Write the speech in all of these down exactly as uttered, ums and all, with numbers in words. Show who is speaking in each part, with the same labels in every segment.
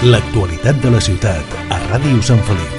Speaker 1: L'actualitat de la ciutat a Ràdio Sant Feliu.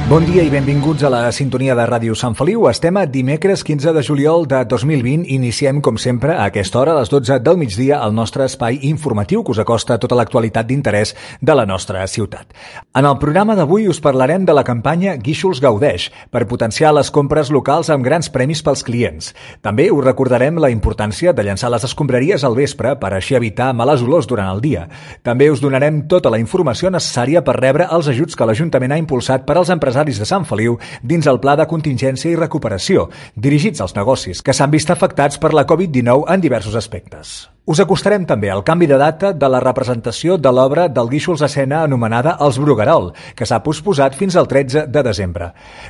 Speaker 2: Bon dia i benvinguts a la sintonia de Ràdio Sant Feliu. Estem a dimecres quinze de juliol de dos mil vint. Iniciem, com sempre, a aquesta hora, a les dotze del migdia, el nostre espai informatiu que us acosta tota l'actualitat d'interès de la nostra ciutat. En el programa d'avui us parlarem de la campanya Guíxols Gaudeix per potenciar les compres locals amb grans premis pels clients. També us recordarem la importància de llançar les escombraries al vespre per així evitar males olors durant el dia. També us donarem tota la informació necessària per rebre els ajuts que l'Ajuntament ha impulsat per als empresaris de Sant Feliu dins el Pla de Contingència i Recuperació, dirigits als negocis que s'han vist afectats per la covid dinou en diversos aspectes. Us acostarem també al canvi de data de la representació de l'obra del Guíxols Escena anomenada Els Bruguerol, que s'ha posposat fins al tretze de desembre.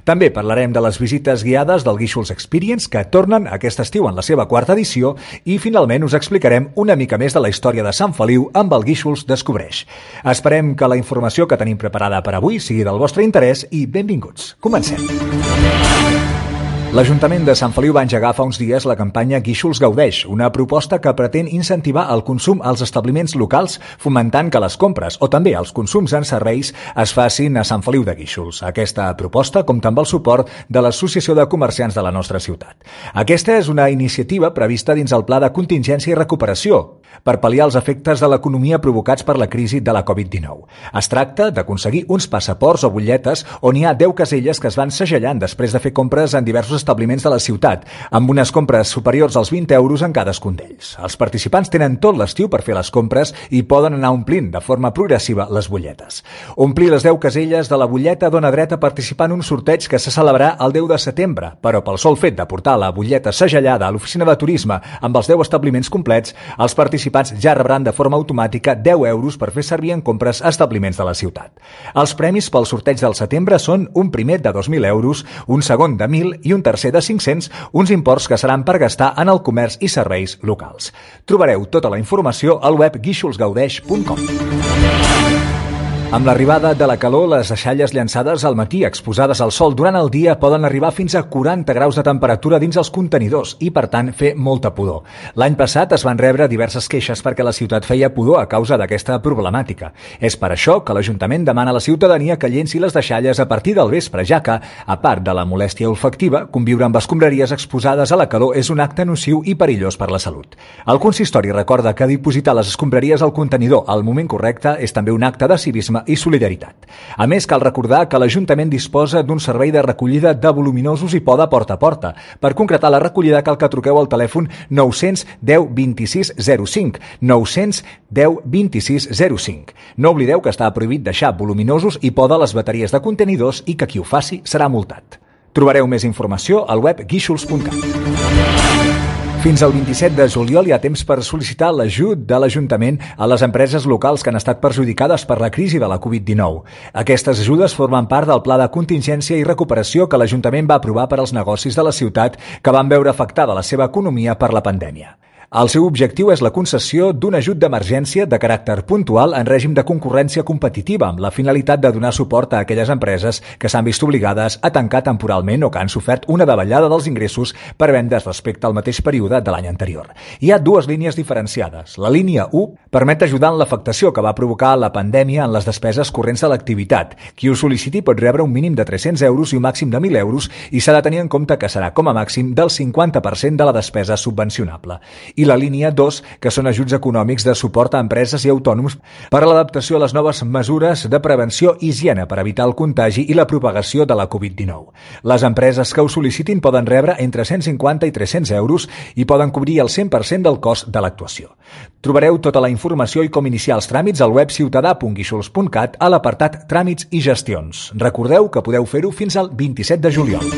Speaker 2: També parlarem de les visites guiades del Guíxols Experience, que tornen aquest estiu en la seva quarta edició, i finalment us explicarem una mica més de la història de Sant Feliu amb el Guíxols Descobreix. Esperem que la informació que tenim preparada per avui sigui del vostre interès i benvinguts. Comencem. L'Ajuntament de Sant Feliu va engegar fa uns dies la campanya Guíxols Gaudeix, una proposta que pretén incentivar el consum als establiments locals, fomentant que les compres o també els consums en serveis es facin a Sant Feliu de Guíxols. Aquesta proposta compta amb el suport de l'Associació de Comerciants de la nostra ciutat. Aquesta és una iniciativa prevista dins el Pla de Contingència i Recuperació per pal·liar els efectes de l'economia provocats per la crisi de la covid dinou. Es tracta d'aconseguir uns passaports o butlletes on hi ha deu caselles que es van segellant després de fer compres en diversos establiments de la ciutat, amb unes compres superiors als vint euros en cadascun d'ells. Els participants tenen tot l'estiu per fer les compres i poden anar omplint de forma progressiva les butlletes. Omplir les deu caselles de la butlleta dona dret a participar en un sorteig que se celebrarà el deu de setembre, però pel sol fet de portar la butlleta segellada a l'oficina de turisme amb els deu establiments complets, els participants ja rebran de forma automàtica deu euros per fer servir en compres a establiments de la ciutat. Els premis pel sorteig del setembre són un primer de dos mil euros, un segon de mil i un tercer de cinc-cents, uns imports que seran per gastar en el comerç i serveis locals. Trobareu tota la informació al web guíxols gaudeix punt com. Amb l'arribada de la calor, les deixalles llançades al matí exposades al sol durant el dia poden arribar fins a quaranta graus de temperatura dins els contenidors i, per tant, fer molta pudor. L'any passat es van rebre diverses queixes perquè la ciutat feia pudor a causa d'aquesta problemàtica. És per això que l'Ajuntament demana a la ciutadania que llenci les deixalles a partir del vespre, ja que, a part de la molèstia olfactiva, conviure amb escombraries exposades a la calor és un acte nociu i perillós per la salut. El consistori recorda que dipositar les escombraries al contenidor al moment correcte és també un acte de civisme i solidaritat. A més, cal recordar que l'Ajuntament disposa d'un servei de recollida de voluminosos i poda porta a porta. Per concretar la recollida cal que truqueu al telèfon nou cents deu vint-i-sis zero cinc, nou cents deu vint-i-sis zero cinc. No oblideu que està prohibit deixar voluminosos i poda a les bateries de contenidors i que qui ho faci serà multat. Trobareu més informació al web guíxols punt cat. Fins al vint-i-set de juliol hi ha temps per sol·licitar l'ajut de l'Ajuntament a les empreses locals que han estat perjudicades per la crisi de la covid dinou. Aquestes ajudes formen part del Pla de Contingència i Recuperació que l'Ajuntament va aprovar per als negocis de la ciutat que van veure afectada la seva economia per la pandèmia. El seu objectiu és la concessió d'un ajut d'emergència de caràcter puntual en règim de concurrència competitiva amb la finalitat de donar suport a aquelles empreses que s'han vist obligades a tancar temporalment o que han sofert una davallada dels ingressos per vendes respecte al mateix període de l'any anterior. Hi ha dues línies diferenciades. La línia u permet ajudar en l'afectació que va provocar la pandèmia en les despeses corrents de l'activitat. Qui ho sol·liciti pot rebre un mínim de tres-cents euros i un màxim de mil euros i s'ha de tenir en compte que serà com a màxim del cinquanta per cent de la despesa subvencionable. I la línia dos, que són ajuts econòmics de suport a empreses i autònoms per a l'adaptació a les noves mesures de prevenció i higiene per evitar el contagi i la propagació de la covid dinou. Les empreses que ho sol·licitin poden rebre entre cent cinquanta i tres-cents euros i poden cobrir el cent per cent del cost de l'actuació. Trobareu tota la informació i com iniciar els tràmits al web ciutadà punt guíxols punt cat a l'apartat Tràmits i Gestions. Recordeu que podeu fer-ho fins al vint-i-set de juliol.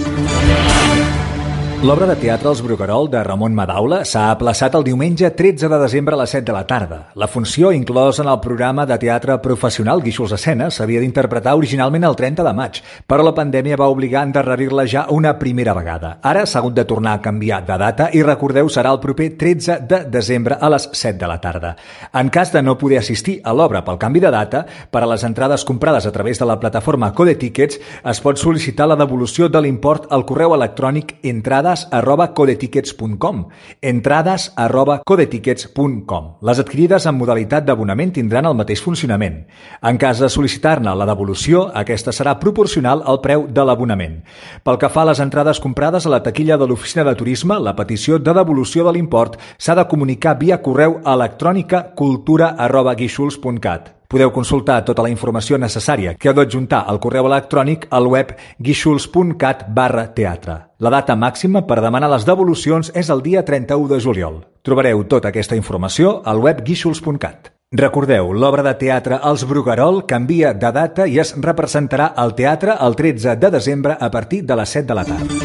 Speaker 2: L'obra de teatre Els Bruguerol de Ramon Madaula s'ha aplaçat el diumenge tretze de desembre a les set de la tarda. La funció, inclosa en el programa de teatre professional Guíxols Escena, s'havia d'interpretar originalment el trenta de maig, però la pandèmia va obligar a endarrerir-la ja una primera vegada. Ara s'ha hagut de tornar a canviar de data i recordeu serà el proper tretze de desembre a les set de la tarda. En cas de no poder assistir a l'obra pel canvi de data, per a les entrades comprades a través de la plataforma Code Tickets es pot sol·licitar la devolució de l'import al correu electrònic entrada entrades arroba codetickets punt com, entrades arroba codetickets punt com. Les adquirides en modalitat d'abonament tindran el mateix funcionament. En cas de sol·licitar-ne la devolució, aquesta serà proporcional al preu de l'abonament. Pel que fa a les entrades comprades a la taquilla de l'Oficina de Turisme, la petició de devolució de l'import s'ha de comunicar via correu electrònica cultura arroba guixols punt cat. Podeu consultar tota la informació necessària que heu d'adjuntar al correu electrònic al web guixols punt cat barra teatre. La data màxima per demanar les devolucions és el dia trenta-u de juliol. Trobareu tota aquesta informació al web guixols punt cat. Recordeu, l'obra de teatre Els Bruguerol canvia de data i es representarà al teatre el tretze de desembre a partir de les set de la tarda.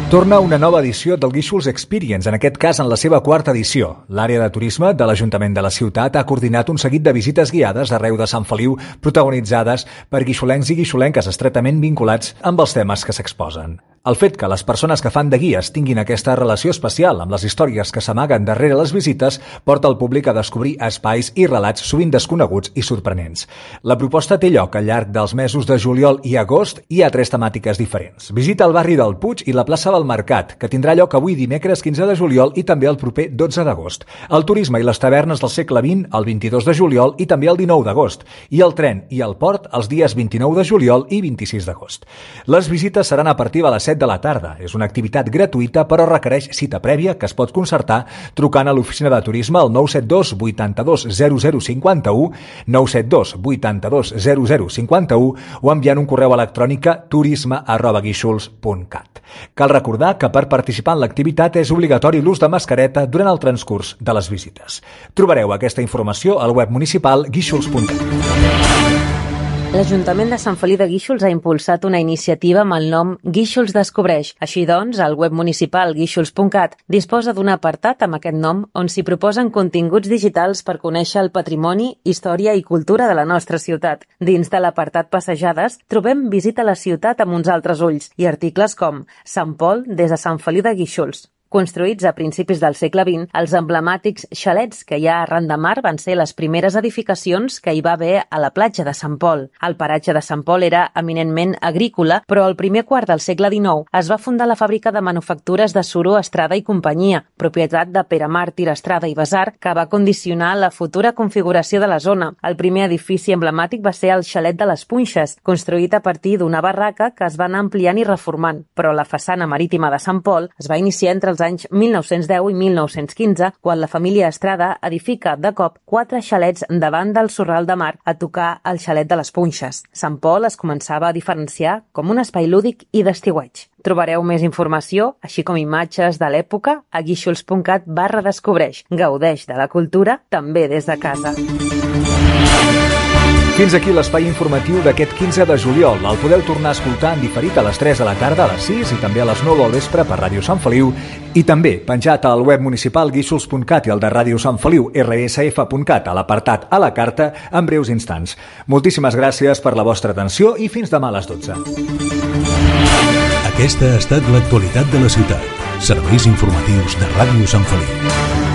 Speaker 2: Torna una nova edició del Guíxols Experience, en aquest cas en la seva quarta edició. L'àrea de turisme de l'Ajuntament de la ciutat ha coordinat un seguit de visites guiades arreu de Sant Feliu, protagonitzades per guixolencs i guixolenques estretament vinculats amb els temes que s'exposen. El fet que les persones que fan de guies tinguin aquesta relació especial amb les històries que s'amaguen darrere les visites porta el públic a descobrir espais i relats sovint desconeguts i sorprenents. La proposta té lloc al llarg dels mesos de juliol i agost i hi ha tres temàtiques diferents. Visita el barri del Puig i la plaça del Mercat, que tindrà lloc avui dimecres quinze de juliol i també el proper dotze d'agost. El turisme i les tavernes del segle vint el vint-i-dos de juliol i també el dinou d'agost. I el tren i el port els dies vint-i-nou de juliol i vint-i-sis d'agost. Les visites seran a partir de les set de la tarda. És una activitat gratuïta però requereix cita prèvia que es pot concertar trucant a l'oficina de turisme al nou set dos vuitanta-dos zero zero cinquanta-u, nou set dos vuitanta-dos zero zero cinquanta-u o enviant un correu electrònic a turisme arroba guixols punt cat. Cal recordar que per participar en l'activitat és obligatori l'ús de mascareta durant el transcurs de les visites. Trobareu aquesta informació al web municipal guixols punt cat.
Speaker 3: L'Ajuntament de Sant Feliu de Guíxols ha impulsat una iniciativa amb el nom Guíxols Descobreix. Així doncs, el web municipal guixols punt cat disposa d'un apartat amb aquest nom on s'hi proposen continguts digitals per conèixer el patrimoni, història i cultura de la nostra ciutat. Dins de l'apartat Passejades trobem Visita la ciutat amb uns altres ulls i articles com Sant Pol des de Sant Feliu de Guíxols. Construïts a principis del segle vint, els emblemàtics xalets que hi ha arran de mar van ser les primeres edificacions que hi va haver a la platja de Sant Pol. El paratge de Sant Pol era eminentment agrícola, però al primer quart del segle dinou es va fundar la fàbrica de manufactures de suro Estrada i companyia, propietat de Pere Màrtir Estrada i Besar, que va condicionar la futura configuració de la zona. El primer edifici emblemàtic va ser el xalet de les Punxes, construït a partir d'una barraca que es va anar ampliant i reformant, però la façana marítima de Sant Pol es va iniciar entre els anys mil nou-cents deu i mil nou-cents quinze, quan la família Estrada edifica de cop quatre xalets davant del Sorral de Mar a tocar el xalet de les Punxes. Sant Pol es començava a diferenciar com un espai lúdic i d'estiueig. Trobareu més informació, així com imatges de l'època, a guixols punt cat barra descobreix. Gaudeix de la cultura també des de casa.
Speaker 2: Fins aquí l'espai informatiu d'aquest quinze de juliol. El podeu tornar a escoltar en diferit a les tres de la tarda, a les sis i també a les nou del vespre per Ràdio Sant Feliu i també penjat al web municipal guixols punt cat i al de Ràdio Sant Feliu erre esse efe punt cat a l'apartat a la carta en breus instants. Moltíssimes gràcies per la vostra atenció i fins demà a les dotze.
Speaker 1: Aquesta ha estat l'actualitat de la ciutat. Serveis informatius de Ràdio Sant Feliu.